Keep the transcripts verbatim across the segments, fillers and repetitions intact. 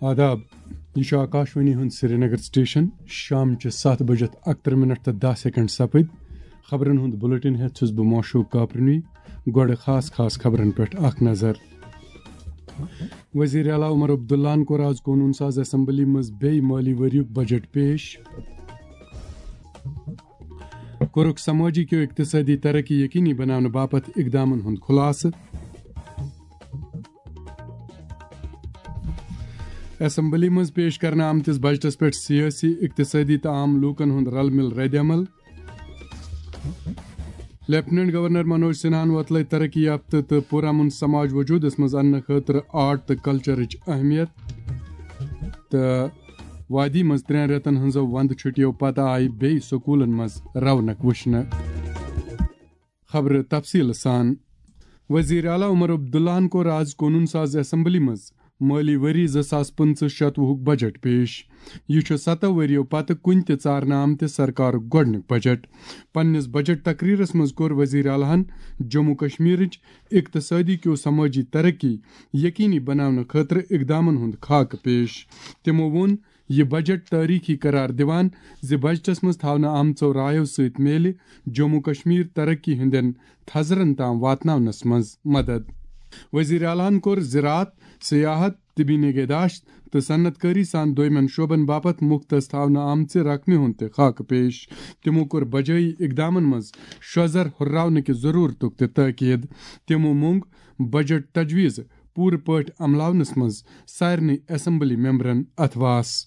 آداب، یہِ چھُ آکاشوانی ہُنٛد سرینگر سٹیشن۔ شام چہِ ستھ بجہِ اکترٕہ منٹ تہٕ دَہ سیکنڈ سپٕدۍ۔ خبرن ہُنٛد بُلٹن ہٮ۪تھ چھُس بہٕ معشوق کاپرنی۔ گۄڈٕ خاص خاص خبرن پٮ۪ٹھ اکھ نظر۔ وزیر اعلیٰ عمر عبداللہن کوٚر آز قونوٗن ساز اسمبلی منٛز بیٚیہِ مٲلی ؤریُک بجٹ پیش۔ کوٚرُکھ سمٲجی کیو اقتصٲدی ترقی یقینی بناونہٕ باپتھ اقدامن ہُنٛد خُلاصہٕ۔ اسمبلی منٛز پیش کرنہٕ آمتِس بجٹس پٮ۪ٹھ سیٲسی، اقتصٲدی تہٕ عام لوٗکن ہُنٛد رل مِل ردعمل۔ لیفٹیننٹ گورنر منوج سنہاہن وۄتلٲے ترقی یافتہٕ تہٕ پُرامن سماج وجودس منٛز اننہٕ خٲطرٕ آرٹ تہٕ کلچرٕچ اہمیت۔ تہٕ وادی منٛز ترٛٮ۪ن رٮ۪تن ہٕنٛزو وندٕ چھُٹیو پتہٕ آیہِ بیٚیہِ سکوٗلن منٛز رونق وٕچھنہٕ۔ خبرٕ تفصیٖلہٕ سان۔ وزیر اعلیٰ عمر عبداللہن کوٚر آز قونوٗن ساز اسمبلی منٛز مٲلی ؤری زٕ ساس پٕنٛژٕہ شتوُہُک بجٹ پیش۔ یہِ چھُ ستو ؤرِیو پتہٕ کُنہِ تہِ ژارنہٕ آمتہِ سرکارُک گۄڈٕنیُک بجٹ۔ پننِس بجٹ تقریرس منٛز کوٚر وزیر اعلیٰ ہن جموں کشمیرٕچ اقتصٲدی کیو سمٲجی ترقی یقینی بناونہٕ خٲطرٕ اقدامن ہُنٛد خاکہٕ پیش۔ تِمو ووٚن، یہِ بجٹ تٲریخی قرار دِوان زِ بجٹس منٛز تھاونہٕ آمژو رایو سۭتۍ میلہِ جموں کشمیر ترقی ہٕنٛدٮ۪ن تھزرن تام واتناونس منٛز مدد۔ وزیر اعلیٰ ہن کوٚر زراعت، سیاحت، طبی نگہداشت تہٕ صنعت کٲری سان دویمٮ۪ن شعبن باپتھ مختص تھاونہٕ آمژِ رقمہِ ہُنٛد تہِ خاکہٕ پیش۔ تِمو کوٚر بجٲیی اقدامن منٛز شوزر ہُرراونہٕ کہِ ضرورتُک تہِ تٲکید۔ تِمو مونگ بجٹ تجویز پوٗرٕ پٲٹھۍ عملاونس منٛز سارنٕے اسمبلی ممبرن اتھواس۔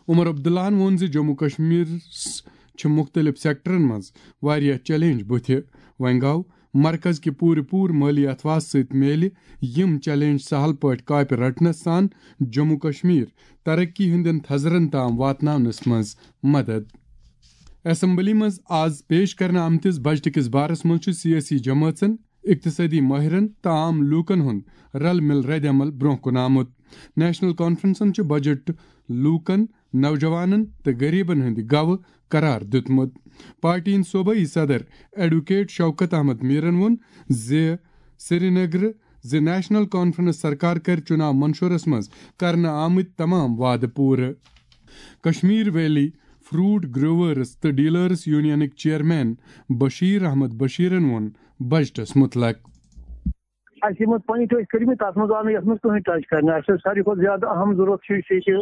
عمر عبداللہن ووٚن زِ جموں کشمیرس چھِ مُختٔلِف سیکٹرن منٛز واریاہ چیلنج بُتھِ۔ وۄنۍ گوٚو، مرکز کہِ پوٗرٕ پوٗرٕ مٲلی اتھواس سۭتۍ میلہِ یِم چیلنج سہل پٲٹھۍ کاپہِ رٹنس سان جموں کشمیر ترقی ہٕنٛدٮ۪ن تھزرن تام واتناونس منٛز مدد۔ اسمبلی منٛز آز پیش کرنہٕ آمتِس بجٹ کِس بارس منٛز چھُ سیٲسی جمٲژن، اقتصٲدی مٲہرن تہٕ عام لوٗکن ہُنٛد رل مِل ردعمل برٛونٛہہ کُن آمُت۔ نیشنل کانفرنسن چھُ بجٹ لوٗکن، نوجوانن تہٕ غریبن ہٕنٛدِ گوٕ قرار دیُتمُت۔ پارٹی ہٕنٛدۍ صوبٲئی صدر ایڈوکیٹ شوکت احمد میرن ووٚن زِ سرینگرٕ زِ نیشنل کانفرنس سرکار کرِ چُناو منشورس منٛز کرنہٕ آمٕتۍ تمام وعدٕ پوٗرٕ۔ کشمیر ویلی فروٹ گروورز تہٕ ڈیلرز یونینٕکۍ چیئرمین بشیر احمد بشیرن ووٚن بجٹس متعلق۔ اَسہِ یِم پوینٹ ٲسۍ کٔرمٕتۍ، تَتھ منٛز آو نہٕ یَتھ منٛز کٕہٕنۍ ٹچ کرنہٕ۔ اَسہِ ٲس ساروی کھۄتہٕ زیادٕ اہم ضروٗرت چھِ یہِ کہِ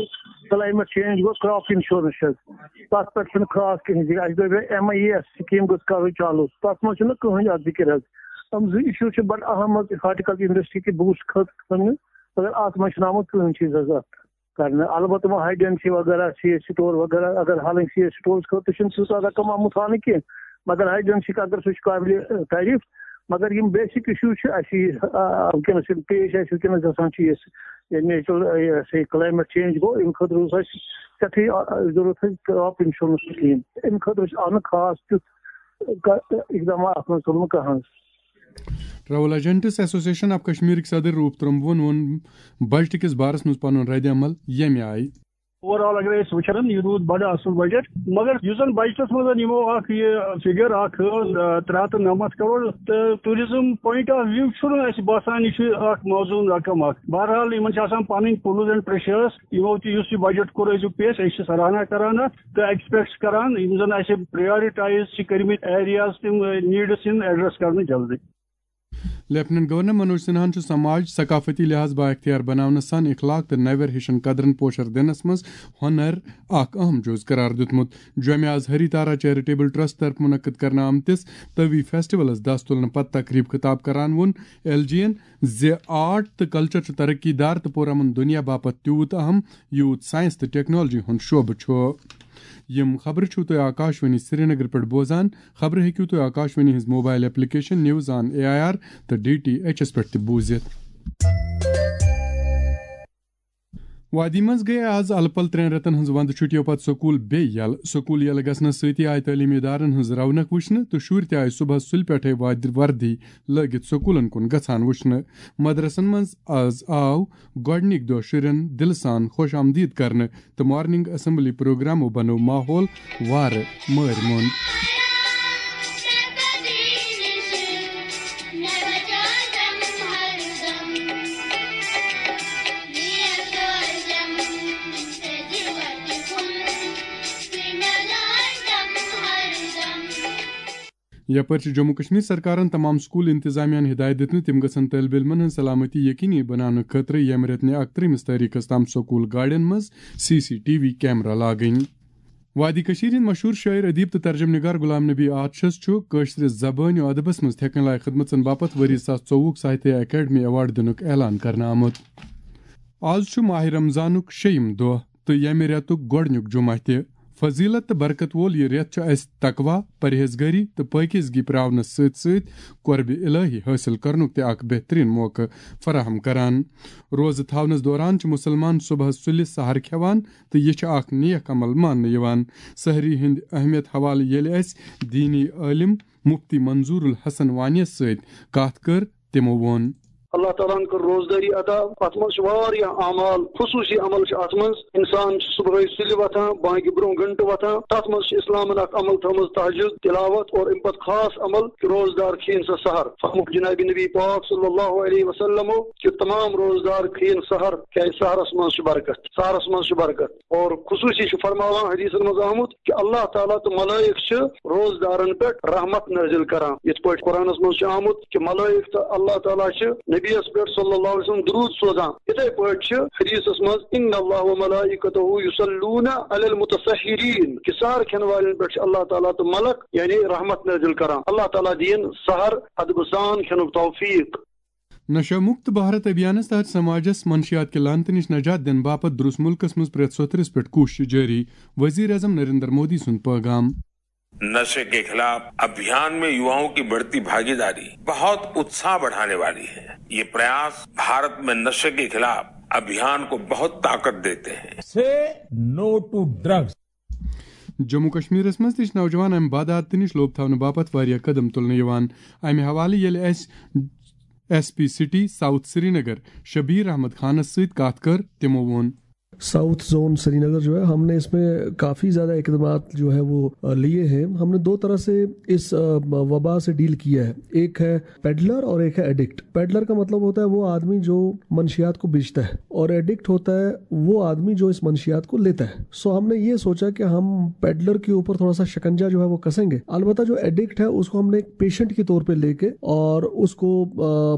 کلایمیٹ چینج گوٚو، کراپ انشورنس چھِ، تَتھ پٮ۪ٹھ چھُنہٕ خاص کِہیٖنۍ ذِکر۔ اَسہِ دوٚپ ایم آئی ایس سکیٖم گٔژھ کَرٕنۍ چالوٗ، تَتھ منٛز چھُنہٕ کٕہٕنۍ اَتھ ذِکر حظ۔ یِم زٕ issue چھِ بڑٕ اہم حظ، ہارٹیکلچر انڈسٹری کہِ بوسٹ خٲطرٕ، مگر اَتھ منٛز چھُنہٕ آمُت کٕہٕنۍ چیٖز حظ اَتھ کرنہٕ۔ البتہ وۄنۍ ہائی ڈینسٹی وغیرہ، سی ایس سٹور وغیرہ اگر ہالٕنۍ، سی ایس سٹورس خٲطرٕ چھُنہٕ تیوٗتاہ رقم آمُت ہاونہٕ کینٛہہ، مگر ہائی ڈینسٹی اگر سُہ چھُ قابلِ تعریف، مگر یِم بیسک issue چھِ اَسہِ یہِ، آ، وٕنکیٚنَس یِم پیش اَسہِ وٕنکیٚنَس گژھان چھِ، یُس یہِ نیچرل، یہِ ہسا یہِ کلایمیٹ چینج گوٚو، اَمہِ خٲطرٕ اوس اَسہِ سٮ۪ٹھٕے، آ، ضروٗرت حظ کراپ انشورنس سکیٖم۔ اَمہِ خٲطرٕ چھُ آمُت خاص تیُتھ کا-، اقدامات اَتھ منٛز تُلنہٕ کانٛہہ حظ۔ ٹریول ایجنٹس ایسوسیشن آف کشمیرٕکۍ صدر روٗپ ترٛمبون ووٚن بجٹ کِس بارس منٛز پنُن رد عمل ییٚمہِ آیہِ۔ اوور آل اگر أسۍ وٕچھان، یہِ روٗد بڑٕ اصل بجٹ، مگر یُس زن بجٹس منٛز یِمو اکھ یہِ فگر اکھ ٲس، آ، ترٛےٚ ہتھ تہٕ نَمَتھ کرور، تہٕ ٹوٗرزم پوینٹ آف ویو چھُنہٕ اَسہِ باسان یہِ چھُ اکھ موزوٗن رقم اکھ۔ بہرحال، یِمن چھِ آسان پنٕنۍ پُلز اینڈ پریشرز، یِمو تہِ یُس یہِ بجٹ کوٚر أزیُک پیش، أسۍ چھِ سراہنا کران اتھ تہٕ ایکسپیکٹ چھِ کران یِم زن اَسہِ پرایورٹائز چھِ کٔرمٕتۍ ایریاز، تِم، آ، نیڈس یِن ایڈریس کرنہٕ جلدی۔ لیفٹیننٹ گورنر منوج سنہاہن چھُ سماج ثقافتی لحاظ بااختیار بناونہٕ سان اخلاق تہٕ نوٮ۪ر ہِشن قدرن پوشر دِنس منٛز ہۄنر اکھ اہم جُز قرار دیُتمُت۔ جوٚمہِ آز ہری تارا چیریٹیبل ٹرسٹ طرفہٕ منعقد کرنہٕ آمتِس تٲوی فیسٹیولس دست تُلنہٕ پتہٕ تقریب خطاب کران ووٚن ایل جی ین زِ آرٹ تہٕ کلچر چھُ ترقی دار تہٕ پُرامن دُنیا باپتھ تیوٗت اہم، یوٗت ساینس تہٕ ٹیکنالوجی ہُنٛد شعبہٕ چھُ۔ یِم خبرٕ چھِو تُہۍ آکاشوانی سرینگر پٮ۪ٹھ بوزان۔ خبرٕ ہیٚکِو تُہۍ آکاشوانی ہٕنٛز mobile application news on A I R تہٕ ڈی ٹی ایچ ایس پٮ۪ٹھ تہِ بوٗزِتھ۔ وادی منٛز گٔیہِ آز الہٕ پلہٕ ترٛٮ۪ن رٮ۪تن ہٕنٛز ونٛدٕ چھُٹیو پتہٕ سکوٗل بیٚیہِ یلہٕ۔ سکوٗل یلہٕ گژھنس سۭتی آیہِ تعلیمی ادارن ہٕنٛز رونق وٕچھنہٕ تہٕ شُرۍ تہِ آیہِ صبحس سُلہِ پٮ۪ٹھے وادِ وردی لٲگِتھ سکوٗلن کُن گژھان وٕچھنہٕ۔ مدرسن منٛز آز آو گۄڈٕنِکۍ دۄہ شُرٮ۪ن دِلہٕ سان خۄش آمدید کرنہٕ تہٕ مارننگ اسمبلی پروگرامو بنوو ماحول وارٕ مٲرۍ موٚنٛد۔ یپٲرۍ چھِ جموں کشمیر سرکارن تمام سکول انتظامیہ ہن ہدایت دِژمٕژ، تِم گژھن طٲلبہِ علمن ہٕنٛز سلامتی یقینی بناونہٕ خٲطرٕ ییٚمہِ رٮ۪تہٕ نہِ اکترٛہمِس تٲریخس تام سکول گاڑٮ۪ن منٛز C C T V camera لاگٕنۍ۔ وادی کشمیر ہٕنٛدۍ مشہوٗر شٲعر، ادیب تہٕ ترجم نگار غلام نبی آتشس چھُ کٲشرِ زبٲنۍ و ادبس منٛز تھٮ۪کن لایق خدمژن باپتھ ؤری زٕ ساس ژوٚوُہ ساہتیہ اکیڈمی ایوارڈ دِنُک اعلان کرنہٕ آمُت۔ آز چھُ ماہ رمضانُک شیٚیِم دۄہ تہٕ ییٚمہِ رٮ۪تُک گۄڈٕنیُک جمعہ تہِ۔ فضیلت تہٕ برکت وول یہِ رٮ۪تھ چھُ اَسہِ تقویٰ، پرہیزگٲری تہٕ پٲکیزگی پراونس سۭتۍ سۭتۍ قربِ الہی حٲصِل کرنُک تہِ اکھ بہترین موقعہٕ فراہم کران۔ روزٕ تھاونس دوران چھِ مُسلمان صبحس سُلہِ سحر کھٮ۪وان تہٕ یہِ چھُ اکھ نیک عمل ماننہٕ یِوان۔ سحری ہٕنٛدِ اہمیت حوالہٕ ییٚلہِ اَسہِ دیٖنی عٲلم مفتی منظور الحسن وانیس سۭتۍ کتھ کٔر، تِمو ووٚن۔ اللہ تعالیٰ ہن کٔر روزدٲری عطا۔ اتھ منٛز چھِ واریاہ اعمال، خصوٗصی عمل چھِ اتھ منٛز۔ انسان چھُ صبحٲے سُلہِ وۄتھان، بانگہِ برونٛہہ گھنٹہٕ وۄتھان۔ تتھ منٛز چھِ اسلامن اکھ عمل تھٲومٕژ تہجد تلاوت، اور امہِ پتہٕ خاص عمل کہِ روزدار کھیٚیِن سا سحر۔ فرموو جناب نبی پاک صلی اللہ علیہ وسلمو کہِ تمام روزدار کھیٚیِن سحر، کیازِ سحرس منٛز چھِ برکت، سحرس منٛز چھِ برکت۔ اور خصوٗصی چھُ فرماوان حدیثن منٛز آمُت کہِ اللہ تعالیٰ تہٕ ملائک چھِ روزدارن پٮ۪ٹھ رحمت نٲزِل کران۔ یِتھ پٲٹھۍ قرآنس منٛز چھُ آمُت کہِ ملائک تہٕ اللہ تعالیٰ چھِ نبیَس پٮ۪ٹھ صلی اللہ علیہ وسلم درود سوزان۔ یِتھے پٲٹھۍ چھِ حدیثس منٛز، "ان اللہ و ملائکتہ یصلون علی المتصحرین"، کہِ سحر کھٮ۪ن والٮ۪ن پٮ۪ٹھ چھِ اللہ تعالیٰ تہٕ ملک یعنی رحمت نٲزِل کران۔ اللہ تعالیٰ دِیِن سحر ادبہٕ سان کھٮ۪نُک توفیق۔ نشہ مکت بھارت ابھیانس تحت سماجس منشیات کہِ لعنتہٕ نِش نجات دِنہٕ باپتھ درُس مُلکس منٛز پرٛٮ۪تھ سوٚتھرِس پٮ۪ٹھ کوٗشش جٲری، وزیر اعظم نریندر مودی سُنٛد پٲغام۔ नशे के खिलाफ अभियान में युवाओं की बढ़ती भागीदारी बहुत उत्साह बढ़ाने वाली है। ये प्रयास भारत में नशे के खिलाफ अभियान को बहुत ताकत देते हैं। Say no to drugs. Jammu کشمیرس منٛز تہِ چھِ نوجوان امہِ بدعادتہٕ نِش لوٚب تھاونہٕ باپتھ واریاہ قدم تُلنہٕ یِوان۔ امہِ حوالہٕ ییٚلہِ اسہِ S P city south Srinagar Shabir Ahmad خانس سۭتۍ کتھ کٔر، تِمو ووٚن۔ ساؤتھ زون سرینگر جو ہے، ہم نے اس میں کافی زیادہ اقدامات جو ہے وہ لیے ہیں۔ ہم نے دو طرح سے اس وبا سے ڈیل کیا ہے، ایک ہے پیڈلر اور ایک ہے ایڈکٹ۔ پیڈلر کا مطلب ہوتا ہے وہ آدمی جو منشیات کو بیچتا ہے، اور ایڈکٹ ہوتا ہے وہ آدمی جو اس منشیات کو لیتا ہے۔ سو ہم نے یہ سوچا کہ ہم پیڈلر کے اوپر تھوڑا سا شکنجہ جو ہے وہ کسیں گے۔ البتہ جو ایڈکٹ ہے اس کو ہم نے ایک پیشنٹ کے طور پہ لے کے اور اس کو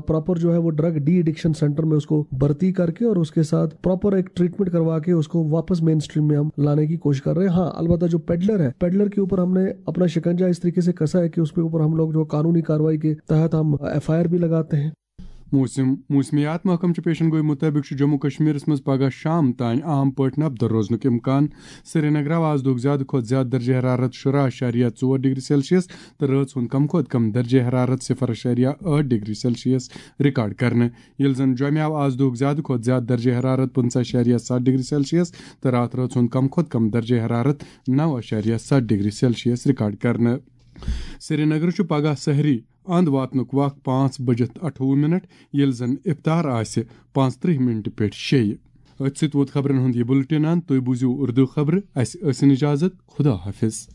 پراپر جو ہے وہ ڈرگ ڈی ایڈکشن سینٹر میں اس کو بھرتی کر کے اور اس کے ساتھ پراپر ایک ٹریٹمنٹ کروا کے اس کو واپس مین اسٹریم میں ہم لانے کی کوشش کر رہے ہیں۔ ہاں، البتہ جو پیڈلر ہے، پیڈلر کے اوپر ہم نے اپنا شکنجہ اس طریقے سے کسا ہے کہ اس کے اوپر ہم لوگ جو قانونی کارروائی کے تحت ہم ایف آئی آر بھی لگاتے ہیں۔ موسم موسمیات محکمہٕ چہِ پیشن گویی مُطٲبِق چھُ جموں کشمیرس منٛز پگہہ شام تام عام پٲٹھۍ نبدر روزنُک امکان۔ سرینگرٕ آو آز دۄہُک زیادٕ کھۄتہٕ زیادٕ درجہ حرارت شُراہ اعشاریہ ژور ڈگری سیلسیس تہٕ رٲژ ہُنٛد کم کھۄتہٕ کم درجہ حرارت صفر اعشاریہ ٲٹھ ڈگری سیلسیس ریکارڈ کرنہٕ، ییٚلہِ زن جوٚمہِ آو آز دۄہُک زیادٕ کھۄتہٕ زیادٕ درجہ حرارت پٕنٛژٕہ اعشاریہ ستھ ڈگری سیلسیس تہٕ راتھ رٲژ ہُنٛد کم کھۄتہٕ کم درجہ حرارت نو اعشاریہ ستھ ڈگری سیلسیس ریکارڈ کرنہٕ۔ سرینگرٕ چھُ پگہہ سحری اند واتنُک وق پانٛژھ بجِتھ اَٹھووُہ منٹ، ییٚلہِ زن افطار آسہِ پانٛژترٕہ منٹہِ پٮ۪ٹھ شیٚیہِ۔ أتھۍ سۭتۍ ووت خبرن ہُنٛد یہِ بُلٹن اند۔ تُہۍ بوٗزِو اردو خبرٕ۔ اسہِ ٲسِن اجازت۔ خدا حافظ۔